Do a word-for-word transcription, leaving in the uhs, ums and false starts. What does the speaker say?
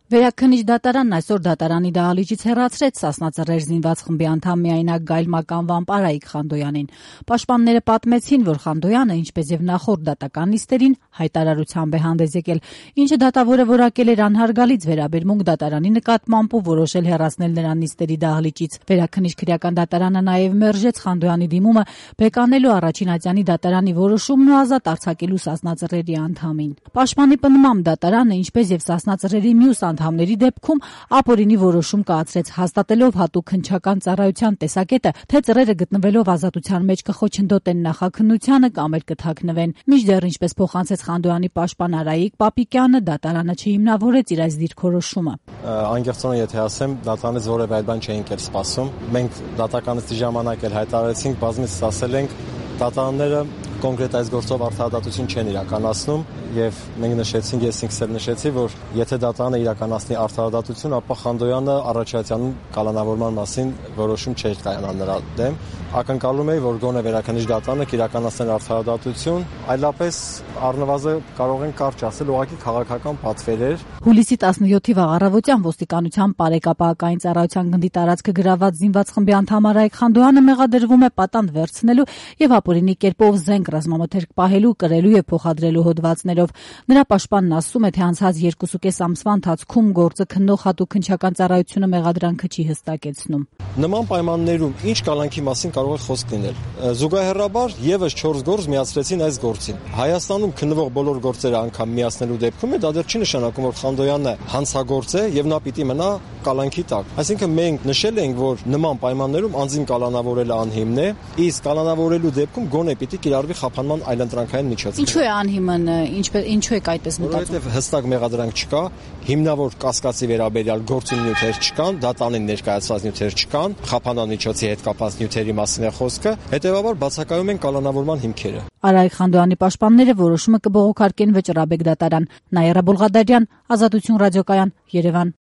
Վերաքննիչ դատարանն այսօր դատարանի դահլիճից հեռացրեց Սասնա Ծռեր զինված խմբի անդամ միայնակ Գայլ Մականվան Պարայիկ Խանդոյանին։ Պաշտպանները պատմեցին, որ Խանդոյանը, ինչպես եւ նախորդ դատական նիստերին, հայտարարությամբ է հանդես եկել, ինչը դատավորը որակել էր անհարգալից վերաբերմունք դատարանի նկատմամբ ու որոշել հեռացնել նրան նիստերի դահլիճից։ Վերաքննիչ քրեական դատարանը նաեւ մերժեց Խանդոյանի դիմումը բեկանելու առաջին ատյանի դատարանի որոշումն ու ազատ արձակելու Սասնա Ծռերի անդամին։ Պաշտպանի պնդմամբ դատարանը, ինչպես եւ Սասնա Ծռերի մյուս անդամների դեպքում ապօրինի որոշում կայացրեց, հաստատելով հատուկ հնչական ծառայության տեսակետը, թե ծռերը գտնվելով ազատության մեջ կխոչընդոտեն նախաքննությանը կամ էլ կթաքնվեն։ Մինչդեռ, ինչպես փոխանցեց Խանդոյանի պաշտպան Արայիկ Պապիկյանը, դատարանը չհիմնավորեց իր այս դիրքորոշումը։ Անկեղծորեն եթե ասեմ, դատարանից որևէ այլ բան չէինք էլ սպասում։ Մենք դատականից ժամանակ էլ հայտարարեցինք, բազմիցս ասել ենք, դատարանները կոնկրետ այս գործով արդարադատություն չեն իրականացնում եւ մենք նշեցինք, ես ինքս էլ նշեցի, որ եթե դատարանը իրականացնի արդարադատություն, ապա Խանդոյանը առաջացյանում կալանավորման մասին որոշում չէր կայանա նրա դեմ։ Ակնկալում էի, որ գոնե վերաքննիչ դատարանը կիրականացներ արդարադատություն, այլապես առնվազն կարող են կարճ ասել, ուղղակի քաղաքական պատվեր էր։ Հուլիսի տասնյոթի վաղ առավոտյան ոստիկանության Պարեկապահական ծառայության գնդի տարածքը գրաված զինված խմբի անդամ Արայիկ Խանդոյանը մեղադրվում է պատանդ վերցնելու եւ ապօրինի կերպով զենք ռազմամթերք պահելու, կրելու եւ փոխադրելու հոդվածներով։ Նրա պաշտպանն ասում է, թե անցած երկուսուկես ամսվա ընթացքում գործը քննող հատուկ հնչական ծառայությունը մեղադրանքը չի հստակեցնում։ Նման պայմաններում ինչ կալանքի մասին կարող է խոսք լինել։ Զուգահեռաբար եւս չորս գործ միացրեցին այս գործին։ Հայաստանում քննվող բոլոր գործերը անգամ միացնելու դեպքում դա դեռ չի նշանակում, որ Խանդոյանը հանցագործ է եւ նա պիտի մնա կալանքի տակ։ Այսինքն մենք նշել ենք, որ նման պայմաններում անձին կալանավորելը անհիմն է, իսկ կալանավորելու դեպքում գոնե պիտի կիրառվի խափանման այլընտրանքային միջոցներ։ Ինչու է անհիմն, ինչպես ինչու եք այդպես մտածում։ Որովհետեւ հստակ մեղադրանք չկա, հիմնավոր կասկածի վերաբերյալ գործունի նյութեր չկան, դատարանին ներկայացված նյութեր չկան, խափանման միջոցի հետ կապված նյութերի մասին է խոսքը, հետեւաբար բացակայում են կալանավորման հիմքերը։ Արայիկ Խանդոյանի պաշտպանները որոշումը կբողոքարկեն Վճռաբեկ դատարան։ Նաիրա Բոլղադարյան, Ազատություն ռադիոկայան, Երևան։